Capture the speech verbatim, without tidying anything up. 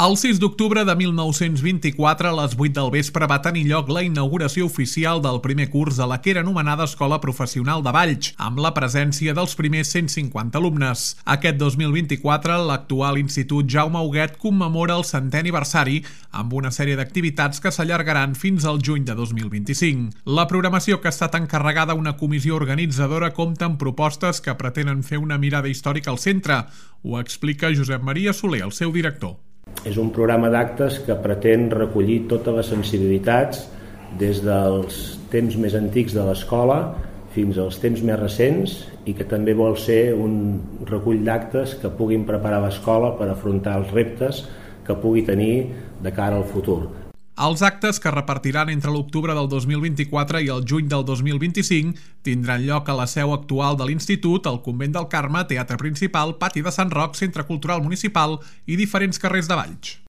El sis d'octubre de mil nou-cents vint-i-quatre, a les vuit del vespre, va tenir lloc la inauguració oficial del primer curs de la que era anomenada Escola Professional de Valls, amb la presència dels primers cent cinquanta alumnes. Aquest dos mil vint-i-quatre, l'actual Institut Jaume Huguet commemora el centè aniversari amb una sèrie d'activitats que s'allargaran fins al juny de dos mil vint-i-cinc. La programació, que ha estat encarregada a una comissió organitzadora, compta amb propostes que pretenen fer una mirada històrica al centre. Ho explica Josep Maria Soler, el seu director. És un programa d'actes que pretén recollir totes les sensibilitats des dels temps més antics de l'escola fins als temps més recents i que també vol ser un recull d'actes que puguin preparar l'escola per afrontar els reptes que pugui tenir de cara al futur. Els actes, que repartiran entre l'octubre del dos mil vint-i-quatre i el juny del dos mil vint-i-cinc, tindran lloc a la seu actual de l'Institut, al Convent del Carme, Teatre Principal, Pati de Sant Roc, Centre Cultural Municipal i diferents carrers de Valls.